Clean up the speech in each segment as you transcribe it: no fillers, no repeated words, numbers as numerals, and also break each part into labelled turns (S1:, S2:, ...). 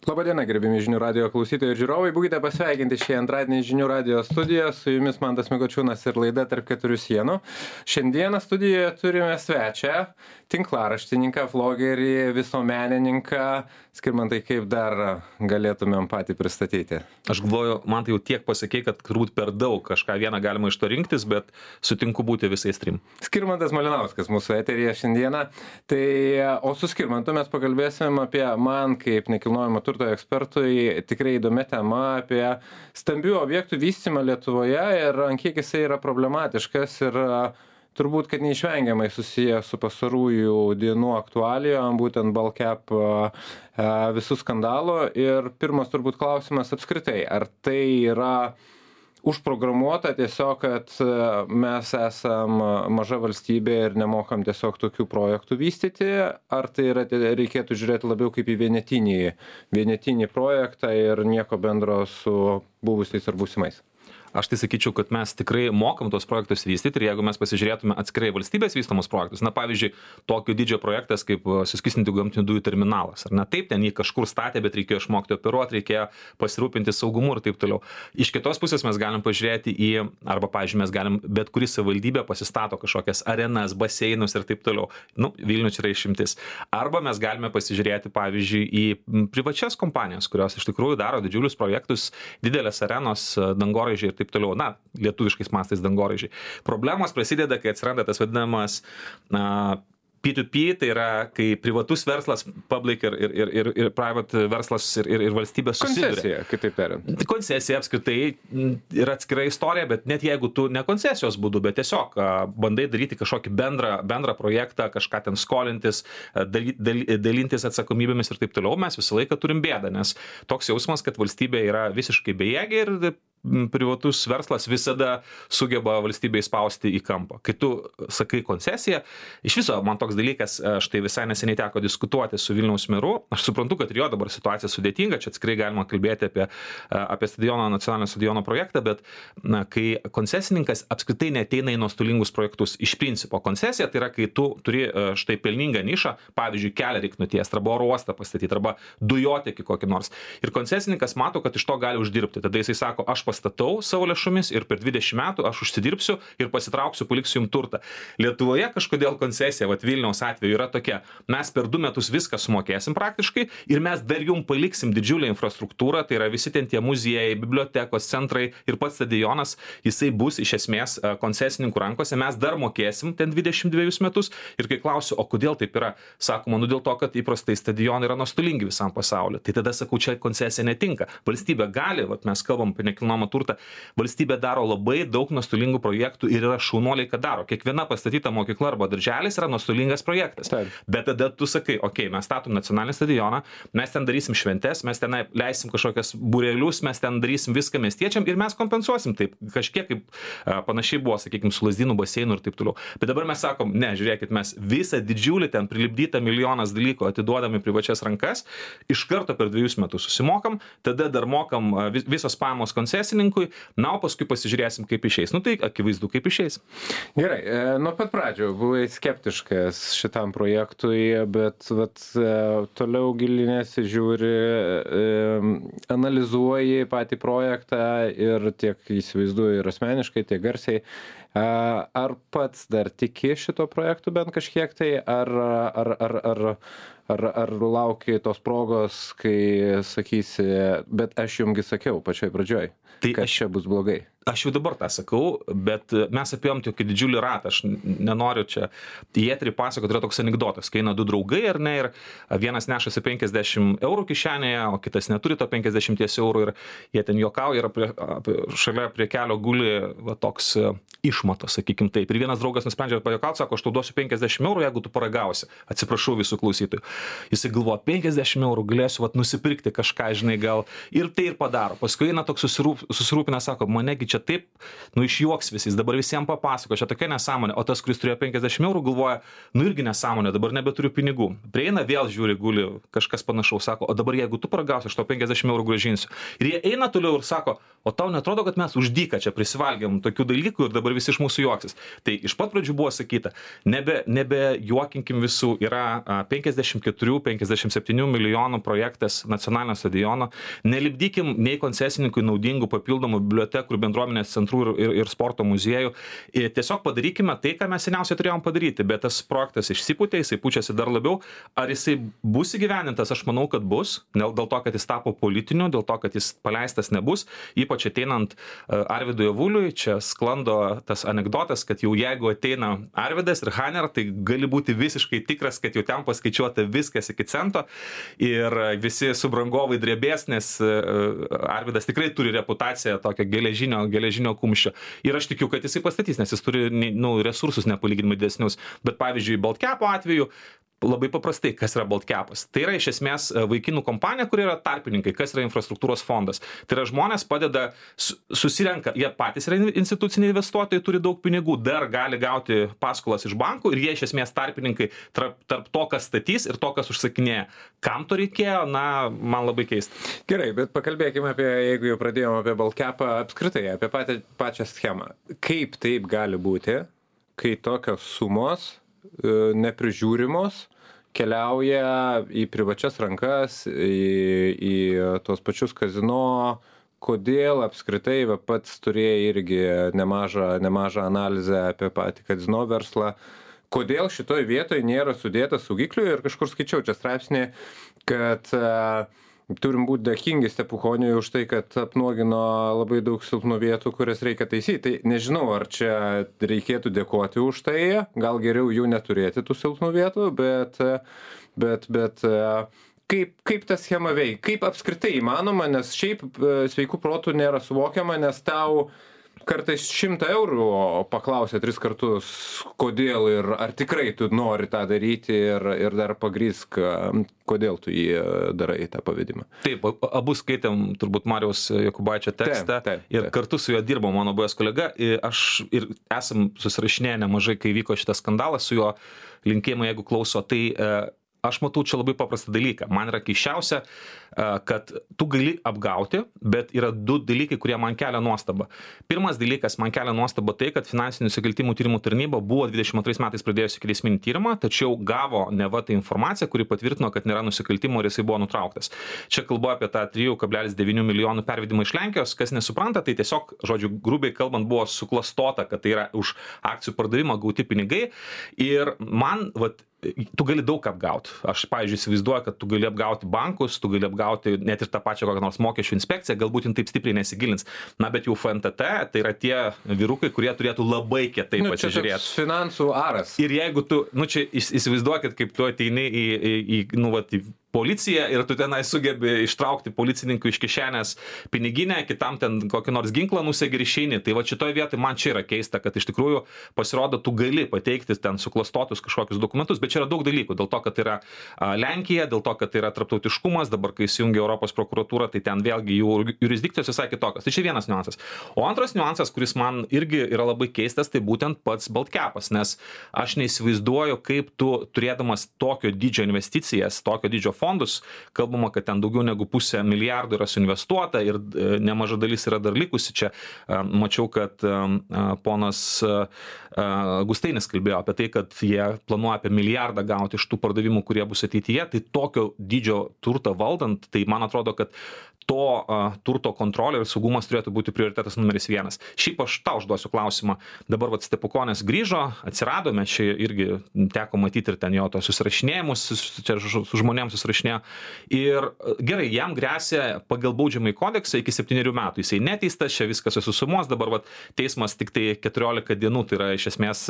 S1: Labadiena, gerbimi žinių radijo klausytojai ir žiūrovai. Būkite pasveikinti šį antradienį žinių radijo studiją. Su jumis Mantas Mikočiūnas ir laida Tarp keturių sienų. Šiandieną studijoje turime svečią, tinklaraštininką, vlogerį, visuomenininką. Skirmantai, kaip dar galėtumėm patį pristatyti?
S2: Aš galvoju, man tai jau tiek pasakė, kad turbūt per daug kažką vieną galima iš to rinktis, bet sutinku būti visais trim.
S1: Skirmantas Malinauskas mūsų eteryje šiandieną. O su Skirmantu mes pakalbėsim apie man kaip nekilnojamo turto ekspertui tikrai įdomi tema apie stambių objektų vystymą Lietuvoje ir ant kiek jisai yra problematiškas ir turbūt, kad neišvengiamai susiję su pastarųjų dienų aktualijom, būtent Baltcap visų skandalų. Ir pirmas turbūt klausimas apskritai, ar tai yra užprogramuota tiesiog, kad mes esam maža valstybė ir nemokam tiesiog tokių projektų vystyti, ar tai yra, reikėtų žiūrėti labiau kaip į vienetinį projektą ir nieko bendro su buvusiais ar būsimais?
S2: Aš tai sakyčiau, kad mes tikrai mokam tos projektus vystyti ir jeigu mes pasižiūrėtume atskirai valstybės vystomus projektus, na pavyzdžiui, tokio dydžio projektas kaip suskystintų gamtinių dujų terminalas, ar ne, taip, ten jį kažkur statė, bet reikėjo išmokti operuoti, reikėjo pasirūpinti saugumu ir taip toliau. Iš kitos pusės mes galim pažiūrėti arba, pavyzdžiui, mes galim bet kuri savivaldybė pasistato kažkokias arenas, baseinus ir taip toliau. Vilnius yra išimtis. Arba mes galime pasižiūrėti, pavyzdžiui, į privačias kompanijas, kurios iš tikrųjų daro didžiulius projektus, didelės arenos, dangoraižiai ir taip toliau, lietuviškais mastais dangoraižiai. Problemos prasideda, kai atsiranda tas vadinamas P2P, tai yra, kai privatus verslas, public ir private verslas ir valstybė susiduria.
S1: Koncesija, kitaip tariant.
S2: Koncesija apskritai yra atskira istorija, bet net jeigu tu ne koncesijos būdu, bet tiesiog bandai daryti kažkokį bendrą projektą, kažką ten skolintis, dalintis atsakomybėmis ir taip toliau, mes visą laiką turim bėdą, nes toks jausmas, kad valstybė yra visiškai bejėgė ir privatus verslas visada sugeba valstybei spausti į kampą. Kai tu sakai koncesiją, iš viso man toks dalykas, štai visai neseniai teko diskutuoti su Vilniaus meru, aš suprantu, kad ir jo dabar situacija sudėtinga, čia atskirai galima kalbėti apie stadiono, nacionalinio stadiono projektą, bet kai koncesininkas apskritai neateina į nuostolingus projektus, iš principo koncesija tai yra, kai tu turi štai pelningą nišą, pavyzdžiui, kelią reik nutiesti, arba oro uostą pastatyti, arba dujotiekį kokį nors. Ir koncesininkas mato, kad iš to gali uždirbti. Tada jisai sako, aš pastatau savo lėšomis ir per 20 metų aš užsidirbsiu ir pasitrauksiu, paliksiu jums turtą. Lietuvoje kažkodėl koncesija, Vilniaus atveju yra tokia, mes per 2 metus viską sumokėsim praktiškai ir mes dar jums paliksim didžiulę infrastruktūrą, tai yra visi ten tie muziejai, bibliotekos, centrai ir pats stadionas, jisai bus iš esmės koncesininkų rankose, mes dar mokėsim ten 22 metus ir kai klausiu, o kodėl taip yra, sakoma, dėl to, kad įprastai stadionai yra nuostolingi visam pasauliu. Tai tada sakau, čia koncesija netinka. Valstybė gali, mes kalbam apie nekilnojamą turtą, valstybė daro labai daug nuostolingų projektų ir yra šaunuoliai, kad daro. Kiekviena pastatyta mokykla arba darželis yra nuostolingas projektas. Taip. Bet tada tu sakai, mes statom nacionalinį stadioną, mes ten darysim šventes, mes ten leisim kažkokias būrelius, mes ten darysim viską miestiečiam ir mes kompensuosim taip. Kažkiek kaip panašiai buvo, sakykime, su Lazdynų baseinu ir taip toliau. Bet dabar mes sakom, ne, žiūrėkit, mes visą didžiulį ten prilipdytą milijonas dalykų atiduodami privačias rankas, iš karto per 2 metus susimokam, tada dar mokam visos pajamos koncesininkui, o paskui pasižiūrėsim, kaip išeis. Tai akivaizdu, kaip išeis.
S1: Gerai, nuo pat pradžio buvai skeptiškas šitam projektui, bet toliau gilinėsi, žiūri, analizuoji patį projektą ir tiek įsivaizduoji ir asmeniškai, tiek garsiai. Ar pats dar tiki šito projektu bent kažkiek tai, ar lauki tos progos, kai sakysi, bet aš jumgi sakiau pačioj pradžioj, kad čia bus blogai?
S2: Aš jau dabar tą sakau, bet mes apėjom tokį didžiulį ratą, aš nenoriu čia į eterį pasakoti, yra toks anekdotas, kai eina 2 draugai, ar ne, ir vienas nešasi 50 eurų kišenėje, o kitas neturi to 50 eurų ir jie ten juokauja ir šalia prie kelio guli toks išmatos, sakykim taip. Ir vienas draugas nusprendžia pajuokauti, sako, aš tau duosiu 50 eurų, jeigu tu paragausi. Atsiprašau visų klausytojų. Jisai galvoja, 50 eurų galėsiu nusipirkti kažką, žinai, gal ir tai ir padaro. Paskui eina toks susirūpinęs, sako, manegi čia taip, išjuoks visi, dabar visiems papasako, čia tokia nesąmonė, o tas, kuris turėjo 50 eurų, galvoja, irgi nesąmonė, dabar nebeturiu pinigų. Prieina vėl žiūri, guli kažkas panašaus, sako, o dabar jeigu tu paragausi, aš tau 50 eurų grąžinsiu. Ir jie eina toliau ir sako, o tau netrodo, kad mes už dyką čia prisivalgėm tokių dalykų ir dabar visi iš mūsų juoksis. Tai iš pat pradžių buvo sakyta, nebe juokinkim visų, yra 54-57 milijonų projektas nacionalinio stadiono, nelipdykim nei koncesininkui naudingų papildomų bibliotekų ir bendruomenės centrų ir sporto muziejų. Ir tiesiog padarykime tai, ką mes seniausiai turėjom padaryti, bet tas projektas išsipūtė, jisai pučiasi dar labiau. Ar jisai bus įgyvendintas? Aš manau, kad bus, dėl to, kad jis tapo politiniu, dėl to, kad jis paleistas nebus, ypač ateinant Arvydui Avuliui, čia sklando tas anekdotas, kad jau jeigu ateina Arvydas ir Haner, tai gali būti visiškai tikras, kad jau ten paskaičiuota viskas iki cento ir visi subrangovai drebės, nes Arvydas tikrai turi reputaciją tokio geležinio kumščio. Ir aš tikiu, kad jisai pastatys, nes jis turi resursus nepalyginimai didesnius. Bet pavyzdžiui, Baltkepo atveju labai paprastai, kas yra Baltkepas. Tai yra iš esmės vaikinų kompanija, kur yra tarpininkai, kas yra infrastruktūros fondas. Tai yra žmonės padeda, susirenka, jie patys yra instituciniai investuotojai, turi daug pinigų, dar gali gauti paskolas iš bankų ir jie iš esmės tarpininkai tarp to, kas statys ir to, kas užsakinėja. Kam to reikėjo, man labai keista.
S1: Gerai, bet pakalbėkime apie, jeigu jau pradėjome apie Baltkepą, apskritai, apie pačią schemą. Kaip taip gali būti, kai tokios sumos neprižiūrimos keliauja į privačias rankas, į tos pačius kazino, kodėl apskritai pats turėjai irgi nemažą analizę apie patį kazino verslą, kodėl šitoj vietoj nėra sudėta saugiklių ir kažkur skaičiau čia straipsnį, kad turim būti dėkingi Stepuchoniui už tai, kad apnuogino labai daug silpnų vietų, kurias reikia taisyti. Tai nežinau, ar čia reikėtų dėkoti už tai, gal geriau jų neturėti tų silpnų vietų, bet kaip ta schema veikia, kaip apskritai įmanoma, nes šiaip sveikų protų nėra suvokiama, nes tau kartais 100 eurų paklausė 3 kartus, kodėl ir ar tikrai tu nori tą daryti ir dar pagrįsk, kodėl tu jį darai, tą pavedimą.
S2: Taip, abu skaitėm turbūt Mariaus Jokubaičio tekstą ir kartu su juo dirbo mano buvęs kolega. Aš ir esam susirašinėję nemažai, kai vyko šitas skandalas su juo, linkėjimai, jeigu klauso, tai aš matau čia labai paprastą dalyką. Man yra keisčiausia, kad tu gali apgauti, bet yra 2 dalykai, kurie man kelia nuostabą. Pirmas dalykas, man kelia nuostabą tai, kad Finansinių nusikaltimų tyrimų tarnyba buvo 22 metais pradėjusi ikiteisminį tyrimą, tačiau gavo neva tą informaciją, kuri patvirtino, kad nėra nusikaltimo ir jisai buvo nutrauktas. Čia kalbu apie tą 3,9 milijonų pervedimą iš Lenkijos, kas nesupranta, tai tiesiog, žodžiu, grubiai kalbant, buvo suklastota, kad tai yra už akcijų pardavimą gauti pinigai ir man, tu gali daug apgauti. Aš, pavyzdžiui, įsivaizduoju, kad tu gali apgauti bankus, tu gali apgauti net ir tą pačią kokią nors mokesčių inspekciją, galbūt jin taip stipriai nesigilins. Bet jau FNTT, tai yra tie vyrukai, kurie turėtų labai kietai pasižiūrėti.
S1: Čia finansų aras.
S2: Ir jeigu tu, čia įsivaizduokit, kaip tu ateini į policiją ir tu tenai sugebi ištraukti policininkų iš kišenės piniginę, kitam ten kokį nors ginklą nusegi ir išeini. Tai šitoje vietoje man čia yra keista, kad iš tikrųjų pasirodo, tu gali pateikti ten suklastotus kažkokius dokumentus, bet čia yra daug dalykų. Dėl to, kad yra Lenkija, dėl to, kad yra tarptautiškumas, dabar kai įsijungia Europos prokuratūra, tai ten vėlgi jų jurisdikcijos visai kitokios. Tai čia vienas niuansas. O antras niuansas, kuris man irgi yra labai keistas, tai būtent pats Baltkepas, nes aš neįsivaizduoju, kaip tu turėdamas tokio dydžio investicijas, tokio dydžio fondus, kalbama, kad ten daugiau negu 500 milijardų yra suinvestuota ir nemaža dalis yra dar likusi. Čia mačiau, kad ponas Gustainis kalbėjo apie tai, kad jie planuoja apie milijardą gauti iš tų pardavimų, kurie bus ateityje. Tai tokio dydžio turtą valdant, tai man atrodo, kad to turto kontrolė ir saugumas turėtų būti prioritetas numeris 1. Šiaip aš tau užduosiu klausimą. Dabar Stepukonis grįžo, atsiradome, čia irgi teko matyti ir ten jo to susirašinėjimus, čia su žmonėms susirašinėjo. Ir gerai, jam gresia pagal baudžiamąjį kodeksą iki 7 metų. Jisai neteistas, čia viskas susumuos, dabar teismas tik tai 14 dienų, tai yra iš esmės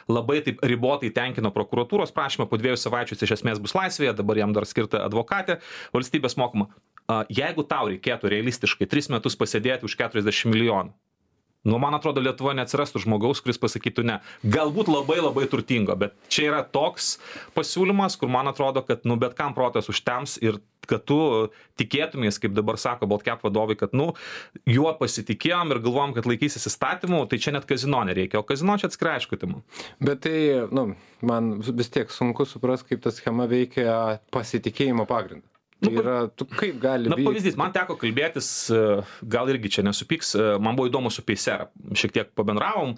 S2: labai taip ribotai tenkino prokuratūros prašymą, po 2 savaičių iš esmės bus laisvėje, dabar jam dar skirta advokatė, valstybės mokama. Jeigu tau reikėtų realistiškai 3 metus pasėdėti už 40 milijonų, man atrodo, Lietuvoje neatsirastų žmogaus, kuris pasakytų ne. Galbūt labai labai turtingo, bet čia yra toks pasiūlymas, kur man atrodo, kad bet kam protas užtems ir kad tu tikėtumės, kaip dabar sako Baltcap vadovai, kad, juo pasitikėjom ir galvom, kad laikysis įstatymų, tai čia net kazino nereikia, o kazino čia atskirai aišku tema.
S1: Bet tai, man vis tiek sunku suprasti, kaip ta schema veikia pasitikėjimo pagrindą. Tai yra, kaip gali būti?
S2: Pavyzdys, man teko kalbėtis, gal irgi čia nesupyks, man buvo įdomu su Paysera, šiek tiek pabendravom,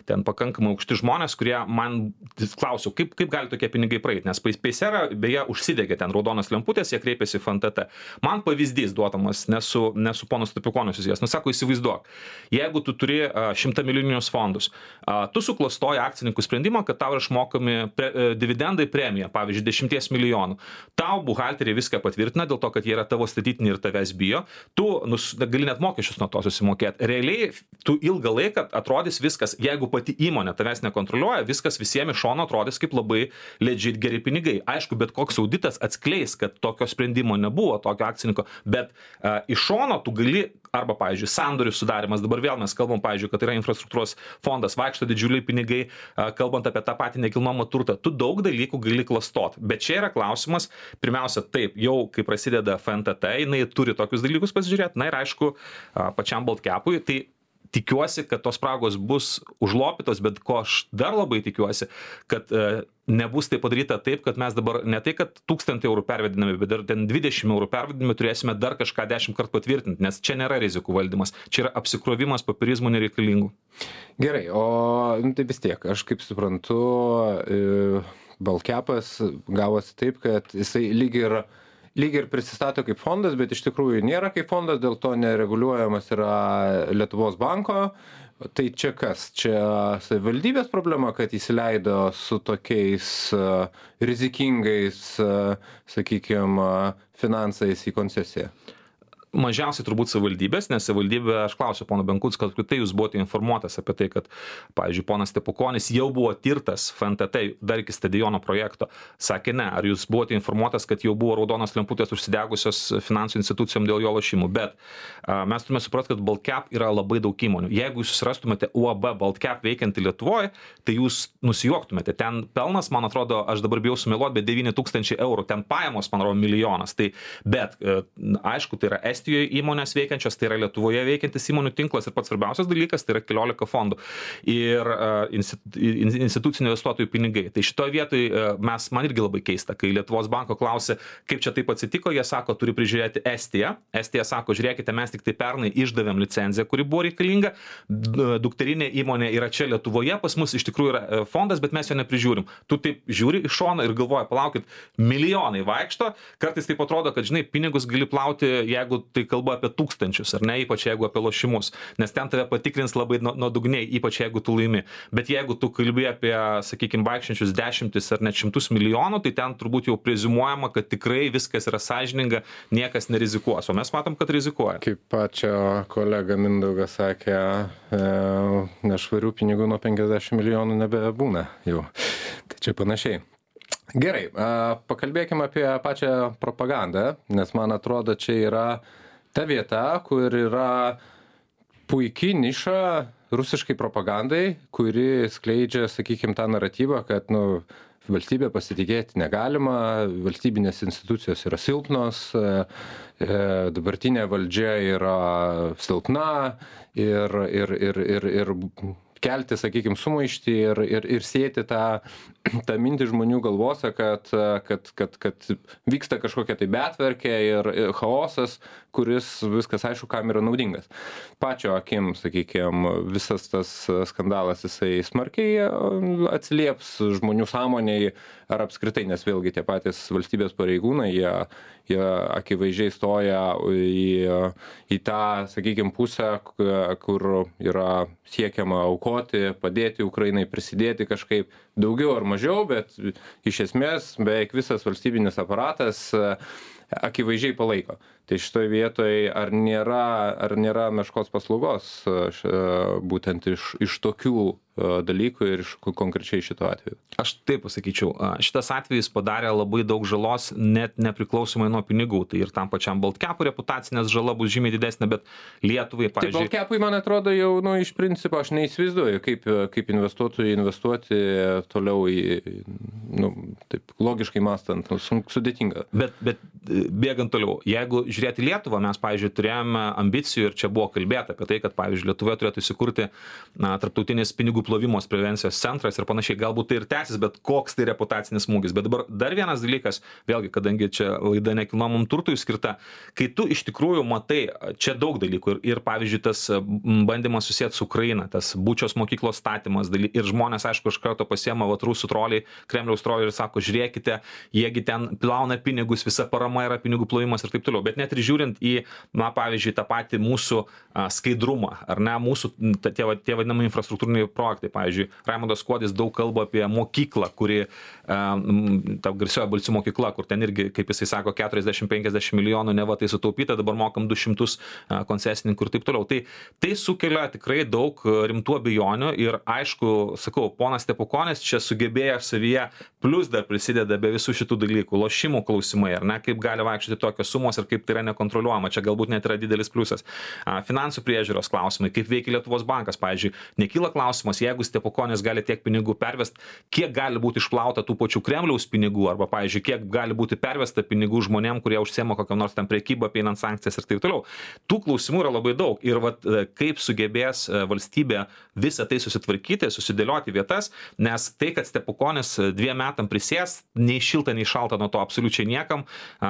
S2: ten pakankamai aukšti žmonės, kurie man klausiau, kaip gali tokie pinigai praeiti, nes Paysera beje užsidegė ten raudonas lemputės, jie kreipėsi į FNTT. Man pavyzdys duodamas, nesu ponas Stupikonis susijęs, sako, įsivaizduok, jeigu tu turi 100 milijoninius fondus, tu suklastoji akcininkų sprendimą, kad tau išmokami dividendai premija, pavyzdžiui, 10 milijonų. Tau buhalteriai viską patvirtina dėl to, kad jie yra tavo statytiniai ir tavęs bijo, tu gali net mokesčius nuo to susimokėti. Realiai, tu ilgą laiką atrodys viskas, jeigu pati įmonė tavęs nekontroliuoja, viskas visiems iš šono atrodys kaip labai legit geri pinigai. Aišku, bet koks auditas atskleis, kad tokio sprendimo nebuvo, tokio akcininko, bet iš šono tu gali arba, pavyzdžiui, sandorių sudarimas, dabar vėl mes kalbam, pavyzdžiui, kad yra infrastruktūros fondas, vaikšto didžiuliai pinigai, kalbant apie tą patį nekilnojamą turtą, tu daug dalykų gali klastot. Bet čia yra klausimas, pirmiausia, taip, jau kai prasideda FNTT, jinai turi tokius dalykus pasižiūrėti, na ir aišku, pačiam Baltcapui, tai tikiuosi, kad tos spragos bus užlopytos, bet ko aš dar labai tikiuosi, kad nebus tai padaryta taip, kad mes dabar ne tai, kad 1000 eurų pervedinami, bet dar ten 20 eurų pervedinami turėsime dar kažką 10 kartų patvirtinti, nes čia nėra rizikų valdymas, čia yra apsikrovimas papirizmų nereikalingų.
S1: Gerai, o tai vis tiek, aš kaip suprantu, Baltcapas gavosi taip, kad jisai lyg ir prisistato kaip fondas, bet iš tikrųjų nėra kaip fondas, dėl to nereguliuojamas yra Lietuvos banko. Tai čia kas? Čia savivaldybės problema, kad įsileido su tokiais rizikingais, sakykime, finansais į koncesiją?
S2: Mažiausiai turbūt savivaldybės, nes savivaldybė, aš klausiu pono Benkucko, kad tai jūs buvote informuotas apie tai, kad, pavyzdžiui, ponas Stepukonis jau buvo tirtas FNTT dar iki stadiono projekto. Sakė ne, ar jūs buvote informuotas, kad jau buvo raudonos lemputės užsidegusios finansų institucijom dėl jo lošimų, bet mes turime suprasti, kad Baltcap yra labai daug įmonių. Jeigu jūs susirastumėte UAB Baltcap veikiantį Lietuvoje, tai jūs nusijuoktumėte. Ten pelnas, man atrodo, aš dabar bijau sumeluoti, bet 9000 eurų, ten pajamos, man atrodo, milijonas. Tai, bet, aišku, tai yra Estijoje įmonės veikiančios, tai yra Lietuvoje veikiantis įmonių tinklas ir pats svarbiausias dalykas, tai yra 14 fondų ir institucinių investuotojų pinigai. Tai šitoje vietoje man irgi labai keista, kai Lietuvos banko klausė, kaip čia taip atsitiko, jie sako, turi prižiūrėti Estiją. Estija sako, žiūrėkite, mes tik tai pernai išdavėm licenciją, kuri buvo reikalinga, dukterinė įmonė yra čia Lietuvoje, pas mus iš tikrųjų yra fondas, bet mes jo neprižiūrim. Tu taip žiūri iš šono ir galvoji, palaukit, milijonai vaikšto, kartais taip atrodo, kad, žinai, pinigus gali plauti, jeigu tai kalba apie tūkstančius, ar ne, ypač jeigu apie lošimus, nes ten tave patikrins labai nuodugniai, ypač jeigu tu laimi. Bet jeigu tu kalbi apie, sakykime, vaikščiančius dešimtis ar net 100 milijonų, tai ten turbūt jau preziumuojama, kad tikrai viskas yra sąžininga, niekas nerizikuos, o mes matom, kad rizikuoja.
S1: Kaip pačio kolega Mindaugas sakė, nešvarių pinigų nuo 50 milijonų nebebūna jau. Tai čia panašiai. Gerai, pakalbėkime apie pačią propagandą, nes man atrodo, čia yra ta vieta, kur yra puikiai niša rusiškai propagandai, kuri skleidžia, sakykime, tą naratyvą, kad, valstybė pasitikėti negalima, valstybinės institucijos yra silpnos, dabartinė valdžia yra silpna ir kelti, sakykime, sumaištį ir sėti tą mintį žmonių galvose, kad vyksta kažkokia tai betvarkė ir chaosas, kuris viskas aišku, kam yra naudingas. Pačio akim, sakykime, visas tas skandalas jisai smarkiai atsilieps žmonių sąmonėj ar apskritai, nes vėlgi tie patys valstybės pareigūnai, jie akivaizdžiai stoja į tą, sakykime, pusę, kur yra siekiama aukoti, padėti Ukrainai, prisidėti kažkaip daugiau ar mažiau, bet iš esmės beveik visas valstybinis aparatas akivaizdžiai palaiko. Tai šitoje vietoje ar nėra meškos paslaugos būtent iš tokių dalykų ir iš konkrečiai šito atveju?
S2: Aš taip pasakyčiau, šitas atvejis padarė labai daug žalos net nepriklausomai nuo pinigų. Tai ir tam pačiam Baltcapui reputacinės žala bus žymiai didesnė, bet Lietuvai, pavyzdžiui...
S1: Tai Baltcapui, man atrodo, jau iš principo aš neįsivaizduoju, kaip investuotojai investuoti toliau taip logiškai mąstant, sudėtinga.
S2: Bet bėgant toliau, jeigu žiūrėti Lietuvą, mes, pavyzdžiui, turėjome ambicijų ir čia buvo kalbėta apie tai, kad, pavyzdžiui, Lietuvoje turėtų įsikurti tarptautinis pinigų plovimos prevencijos centras ir panašiai, galbūt tai ir tęsis, bet koks tai reputacinis smūgis. Bet dabar dar vienas dalykas, vėlgi, kadangi čia laida nekilnojamam turtui skirta, kai tu iš tikrųjų matai, čia daug dalykų ir pavyzdžiui, tas bandymas susijęti su Ukraina, tas Bučios mokyklos statymas ir žmonės, aišku, iš karto pasiema rusų troliai, Kremliaus troliai ir sako, žiūrėkite, jiegi ten plauna pinigus, visa parama yra pinigų plovimas ir taip toliau. Bet net ir žiūrint į, pavyzdžiui, tą patį mūsų skaidrumą, ar ne, mūsų tie vadinami infrastruktūriniai projektai. Pavyzdžiui, Raimondas Kuodis daug kalba apie mokyklą, kuri, ta garsioji Balcių mokykla, kur ten irgi, kaip jisai sako, 40-50 milijonų neva tai sutaupyta, dabar mokam 200 koncesininkų ir taip toliau. Tai sukelia tikrai daug rimtų abejonių ir aišku, sakau, ponas Stepukonis čia sugebėjo savyje, plus dar prisideda be visų šitų dalykų, lošimų klausimai, ar ne, kaip gali vaikščioti tokios sumos ir kaip tai yra nekontroliuojama, čia galbūt net yra didelis pliusas. Finansų priežiūros klausimai, kaip veikia Lietuvos bankas, pavyzdžiui, nekyla klausimas, jeigu Stepukonis gali tiek pinigų pervest, kiek gali būti išplauta tų pačių Kremliaus pinigų, arba, pavyzdžiui, kiek gali būti pervesta pinigų žmonėm, kurie užsiema kokią nors ten prekybą, apeinant sankcijas ir taip toliau. Tų klausimų yra labai daug ir kaip sugebės valstybė visą tai susitvarkyti, susidėlioti vietas, nes tai, kad Stepukonis 2 metam prisės, nei šilta, nei šalta nuo to absoliučiai niekam,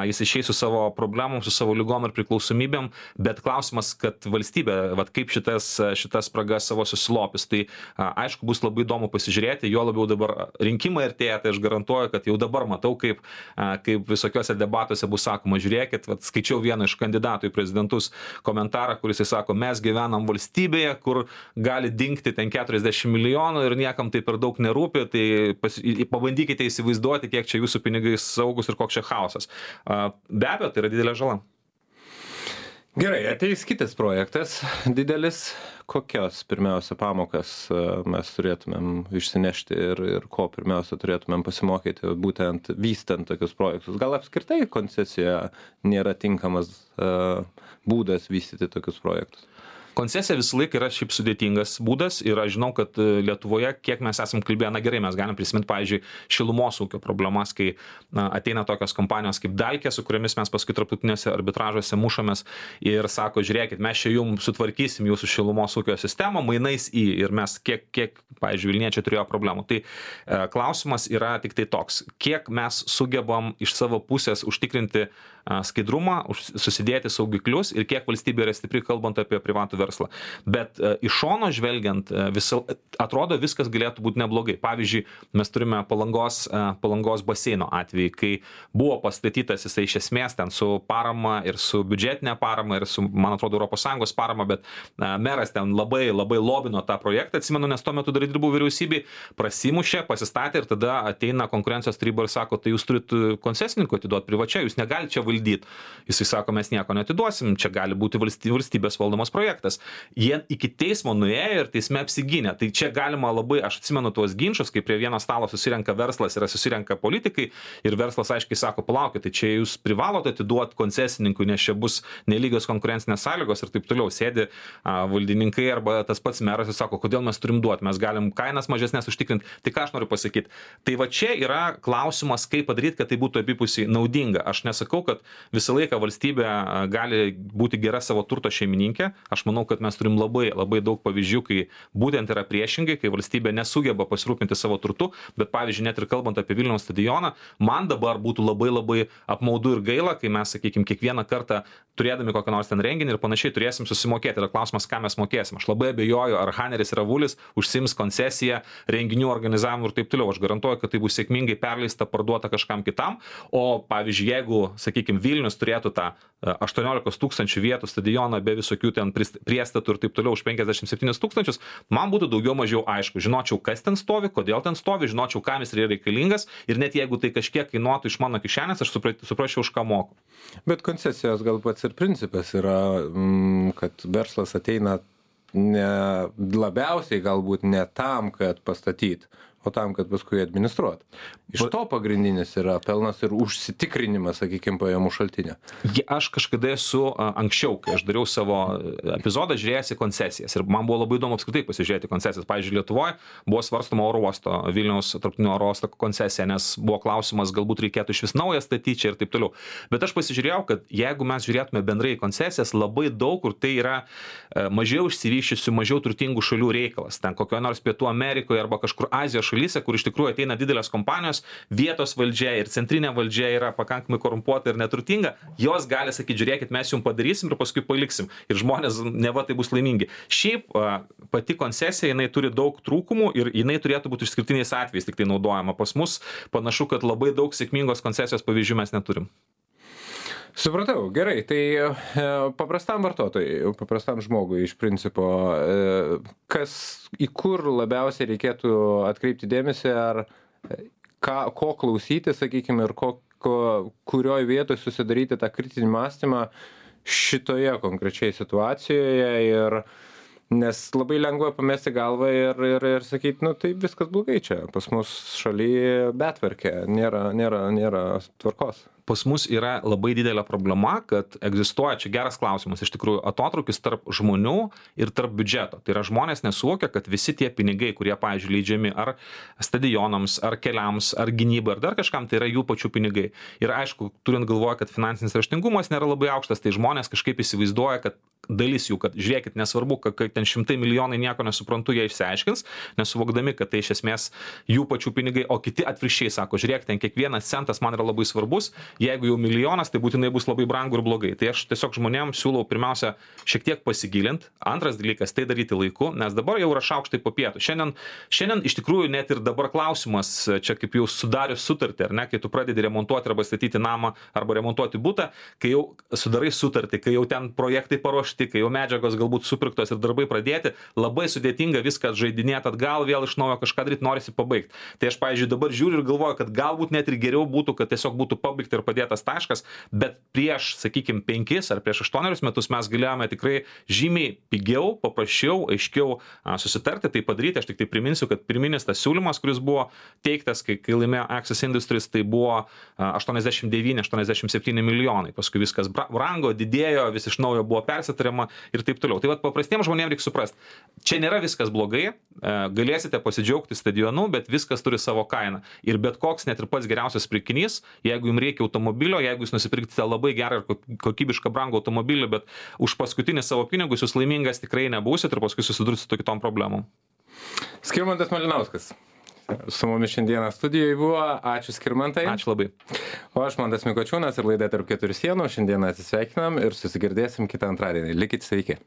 S2: jis išeis su savo problemom, su savo lygom ir priklausomybėm, bet klausimas, kad valstybė, kaip šitas spragas savo susilopis, tai aišku, bus labai įdomu pasižiūrėti, jo labiau dabar rinkimai artėja, tai aš garantuoju, kad jau dabar matau, kaip visokiuose debatuose bus sakoma, žiūrėkit, skaičiau vieną iš kandidatų į prezidentus komentarą, kuris sako, mes gyvenam valstybėje, kur gali dingti ten 40 milijonų ir niekam tai per daug nerūpi, tai pabandykite įsivaizduoti, kiek čia jūsų pinigai saugus ir koks čia chaosas. Be abejo, tai yra didelė žala.
S1: Gerai, ateis kitas projektas didelis. Kokios pirmiausia pamokas mes turėtumėm išsinešti ir ko pirmiausia turėtumėm pasimokyti, būtent vystant tokius projektus? Gal apskritai koncesija nėra tinkamas būdas vystyti tokius projektus?
S2: Koncesija visą laiką yra šiaip sudėtingas būdas ir aš žinau, kad Lietuvoje, kiek mes esam kalbėję, na gerai, mes galim prisiminti, pavyzdžiui, šilumos ūkio problemas, kai ateina tokios kompanijos kaip Dalkė, su kuriamis mes paskui tarptautinėse arbitražuose mušamės ir sako, žiūrėkit, mes čia jums sutvarkysim jūsų šilumos ūkio sistemą, mainais ir mes kiek pavyzdžiui, Vilniečiai turėjo problemų. Tai klausimas yra tik tai toks, kiek mes sugebam iš savo pusės užtikrinti skaidrumą, susidėti saugiklius ir kiek valstybė yra stipri, kalbant apie privatų verslą. Bet iš šono žvelgiant, atrodo viskas galėtų būti neblogai. Pavyzdžiui, mes turime Palangos baseino atvejį, kai buvo pastatytas jisai iš esmės ten su parama ir su biudžetinė parama ir su, man atrodo, ES parama, bet meras ten labai lobino tą projektą, atsimenu, nes tuo metu dar dirbau vyriausybei, prasimušė, pasistatė ir tada ateina konkurencijos taryba ir sako, tai jūs turit koncesininkų atiduoti privačiai, jūs negalite čia valdyti. Jisai sako, mes nieko neatiduosim, čia gali būti valstybės valdomas projektas. Jie iki teismo nuėjo ir teisme apsigynė. Tai čia galima labai, aš atsimenu tuos ginčus, kai prie vieno stalo susirenka verslas ir susirenka politikai ir verslas aiškiai sako, palaukit, tai čia jūs privalote atiduoti koncesininkui, nes čia bus nelygios konkurencinės sąlygos ir taip toliau. Sėdi valdininkai arba tas pats meras ir sako, kodėl mes turim duoti, mes galim kainas mažesnės užtikrinti. Tai ką aš noriu pasakyti? Tai va čia yra klausimas, kaip padaryti, kad tai būtų abipusiai naudinga. Aš nesakau, kad visą laiką valstybė gali būti gera savo turto šeimininkė. Aš manau, kad mes turim labai daug pavyzdžių, kai būtent yra priešingai, kai valstybė nesugeba pasirūpinti savo turtu, bet pavyzdžiui, net ir kalbant apie Vilniaus stadioną, man dabar būtų labai apmaudu ir gaila, kai mes, sakykime, kiekvieną kartą turėdami kokią nors ten renginį ir panašiai turėsim susimokėti. Yra klausimas, ką mes mokėsim. Aš labai abejoju, ar Haneris ir Avulis užsiims koncesiją, renginių organizavimu ir taip toliau. Aš garantuoju, kad tai bus sėkmingai perleista, parduota kažkam kitam. O pavyzdžiui, jeigu, sakykime, sakykime, Vilnius turėtų tą 18 000 vietų stadioną be visokių ten priestatų ir taip toliau už 57 000, man būtų daugiau mažiau aišku. Žinočiau, kas ten stovi, kodėl ten stovi, žinočiau, kam jis yra reikalingas ir net jeigu tai kažkiek kainuotų iš mano kišenės, aš suprasčiau, už ką moku.
S1: Bet koncesijos gal pats ir principas yra, kad verslas ateina ne labiausiai galbūt ne tam, kad pastatyti, o tam, kad paskui administruot. Iš to pagrindinis yra pelnas ir užsitikrinimas, sakykime, pajamų šaltinio.
S2: Aš kažkada esu anksčiau, kai aš dariau savo epizodą, žiūrėjęs į koncesijas ir man buvo labai įdomu apskritai pasižiūrėti koncesijas. Pavyzdžiui, Lietuvoje buvo svarstoma oro uosto, Vilniaus tarptautinio oro uosto koncesija, nes buvo klausimas, galbūt reikėtų iš vis naują statyti čia ir taip toliau. Bet aš pasižiūrėjau, kad jeigu mes žiūrėtume bendrai į koncesijas, labai daug kur tai yra mažiau išsivyščiusių, mažiau turtingų šalių reikalas. Ten kokio nors Pietų Amerikoje arba kažkur Azijos šalyse, kur iš tikrųjų ateina didelės kompanijos, vietos valdžia ir centrinė valdžia yra pakankamai korumpuota ir neturtinga, jos gali sakyti, žiūrėkit, mes jums padarysim ir paskui paliksim. Ir žmonės neva tai bus laimingi. Šiaip pati koncesija, jinai turi daug trūkumų ir jinai turėtų būti išskirtiniais atvejais tik tai naudojama. Pas mus panašu, kad labai daug sėkmingos koncesijos pavyzdžių mes neturim.
S1: Supratau, gerai, tai paprastam vartotojui, paprastam žmogui iš principo, į kur labiausiai reikėtų atkreipti dėmesį, ar ko klausyti, sakykime, ir kurioj vietoje susidaryti tą kritinį mąstymą šitoje konkrečiai situacijoje, ir nes labai lengva pamesti galvą ir sakyti, nu tai viskas blogai čia, pas mus šalyje betvarkė, nėra tvarkos.
S2: Pas mus yra labai didelė problema, kad egzistuoja, čia geras klausimas, iš tikrųjų, atotrūkis tarp žmonių ir tarp biudžeto. Tai yra žmonės nesuvokia, kad visi tie pinigai, kurie, pavyzdžiui, leidžiami ar stadionams, ar keliams, ar gynybai, ar dar kažkam, tai yra jų pačių pinigai. Ir aišku, turint galvoje, kad finansinis raštingumas nėra labai aukštas, tai žmonės kažkaip įsivaizduoja, kad dalis jų, kad žiūrėkit, nesvarbu, kad ten 100 milijonai nieko nesuprantu, jie išsiaiškins, nesuvokdami, kad tai iš esmės jų pačių pinigai, o kiti atvirkščiai sako, žiūrėk, ten kiekvienas centas man yra labai svarbus, jeigu jau milijonas, tai būtinai bus labai brangu ir blogai. Tai aš tiesiog žmonėms siūlau pirmiausia šiek tiek pasigilinti. Antras dalykas, tai daryti laiku, nes dabar jau yra šaukštai po pietų. Šiandien iš tikrųjų net ir dabar klausimas, čia kaip jau sudarius sutartį, ar ne, kai tu pradedi remontuoti arba statyti namą arba remontuoti butą, kai jau sudarai sutartį, kai jau ten projektai paruošti, kai jau medžiagos galbūt supirktos ir darbai pradėti, labai sudėtinga viską žaidinėti atgal, vėl iš naujo kažką daryti, norisi pabaigti. Tai aš, pavyzdžiui, dabar žiūriu ir galvoju, kad galbūt net ir geriau būtų, kad tiesiog būtų pabaigta ir padėtas taškas, bet prieš, sakykime, 5 ar prieš 8 metus mes galėjome tikrai žymiai pigiau, paprasčiau, aiškiau susitarti, tai padaryti. Aš tik tai priminsiu, kad pirminis tas siūlymas, kuris buvo teiktas, kai laimėjo Access Industries, tai buvo 89-87 milijonai. Paskui viskas brango, didėjo, vis iš naujo buvo persitariama ir taip toliau. Tai vat paprastiems žmonėms reikia suprasti, čia nėra viskas blogai, galėsite pasidžiaugti stadionu, bet viskas turi savo kainą. Ir bet koks, net ir pats geriausias pirkinys, jeigu jums reikia automobilio, jeigu jūs nusipirksite labai gerą ir kokybišką brangų automobilį, bet už paskutinį savo pinigus jūs laimingas tikrai nebūsit ir paskui susidursite su kitom problemom.
S1: Skirmantas Malinauskas su mumis šiandieną studijoje buvo. Ačiū, Skirmantai.
S2: Ačiū labai.
S1: O aš Mantas Mikočiūnas ir laida Tarp keturių sienų. Šiandieną atsisveikinam ir susigirdėsim kitą antradienį. Likit sveiki.